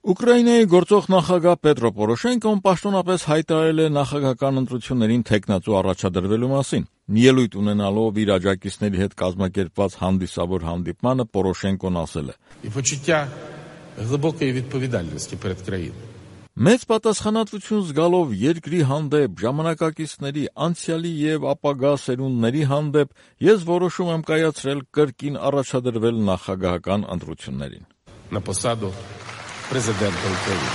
Ուկրաինայի գործող նախագահ Պետրո Պորոշենկոն պաշտոնապես հայտարարել է նախագահական ընտրություններին թեկնածու առաջադրվելու մասին։ Ելույթ ունենալով իր աջակիցների հետ կազմակերպված հանդիսավոր հանդիպմանը Պորոշենկոն ասել է. «Մեծ պատասխանատվություն զգալով երկրի հանդեպ, ժամանակակիցների, անցյալի եւ ապագա սերունդների հանդեպ ես որոշում եմ կայացրել կրկին առաջադրվել նախագահական ընտրություններին»։ Президента України.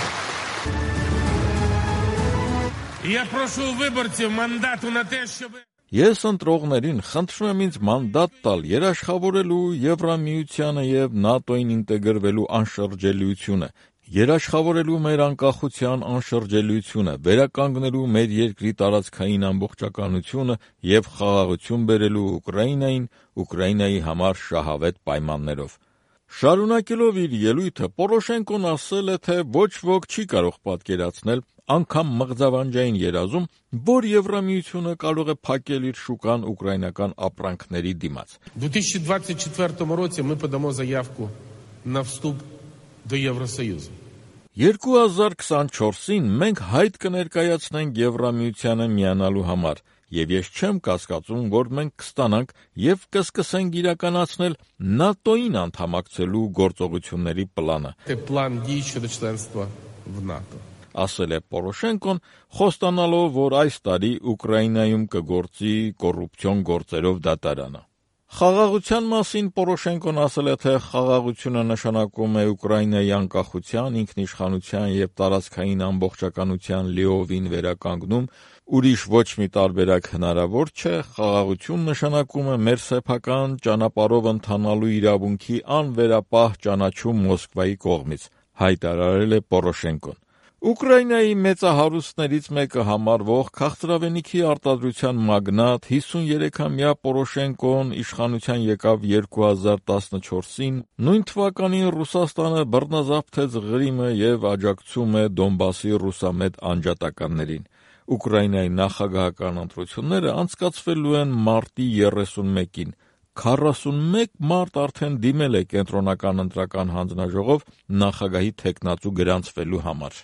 Я прошу виборців мандату на те, щоб Ես ընտրողներին խնդրում եմ ինձ մանդատ տալ երաշխավորելու Եվրամիությանը եւ ՆԱՏՕ-ին ինտեգրվելու անշրջելիությունը, երաշխավորելու մեր անկախության անշրջելիությունը, վերականգնելու մեր երկրի տարածքային ամբողջականությունը եւ խաղաղություն բերելու Ուկրաինային, Ուկրաինայի համար շահավետ պայմաններով։ Շարունակելով իր ելույթը Պորոշենկոն ասել է, թե ոչ ոք չի կարող պատկերացնել, անգամ մղձավանջային երազում, որ Եվրամիությունը կարող է փակել իր շուկան ուկրաինական ապրանքների դիմաց։ 2024 році ми подамо заявку на вступ до Євросоюзу. 2024-ին մենք հայտ կներկայացնենք Եվրամիությանը միանալու համար, եւ ես չեմ կասկածում, որ մենք կստանանք եւ կսկսենք իրականացնել ՆԱՏՕ-ին անդամակցելու գործողությունների պլանը։ План дій щодо членства в НАТО. Ասել է Պորոշենկոն, խոստանալով, որ այս տարի Ուկրաինայում կգործի կոռուպցիոն գործերով դատարանը։ Խաղաղության մասին Պորոշենկոն ասել է, թե խաղաղությունը նշանակում է Ուկրաինայի անկախության, ինքնիշխանության եւ տարածքային ամբողջականության լիովին վերականգնում, ուրիշ ոչ մի տարբերակ հնարավոր չէ, խաղաղություն նշանակում է մեր սեփական ճանապարհով ընթանալու իրավունքի անվերապահ ճանաչում Մոսկվայի կողմից, հայտարարել է Պորոշենկոն։ Ուկրաինայի մեծահարուստներից մեկը համարվող քաղցրավենիքի արտադրության մագնատ 53-ամյա Պորոշենկոն իշխանության եկավ 2014-ին, նույն թվականին Ռուսաստանը բռնազավթեց Ղրիմը եւ աջակցում է Դոնբասի ռուսամետ անջատականներին։ Ուկրաինայի նախագահական ընտրությունները անցկացվելու են մարտի 31-ին։ 41 մարդ արդեն դիմել է կենտրոնական ընտրական հանձնաժողով նախագահի թեկնածու գրանցվելու համար։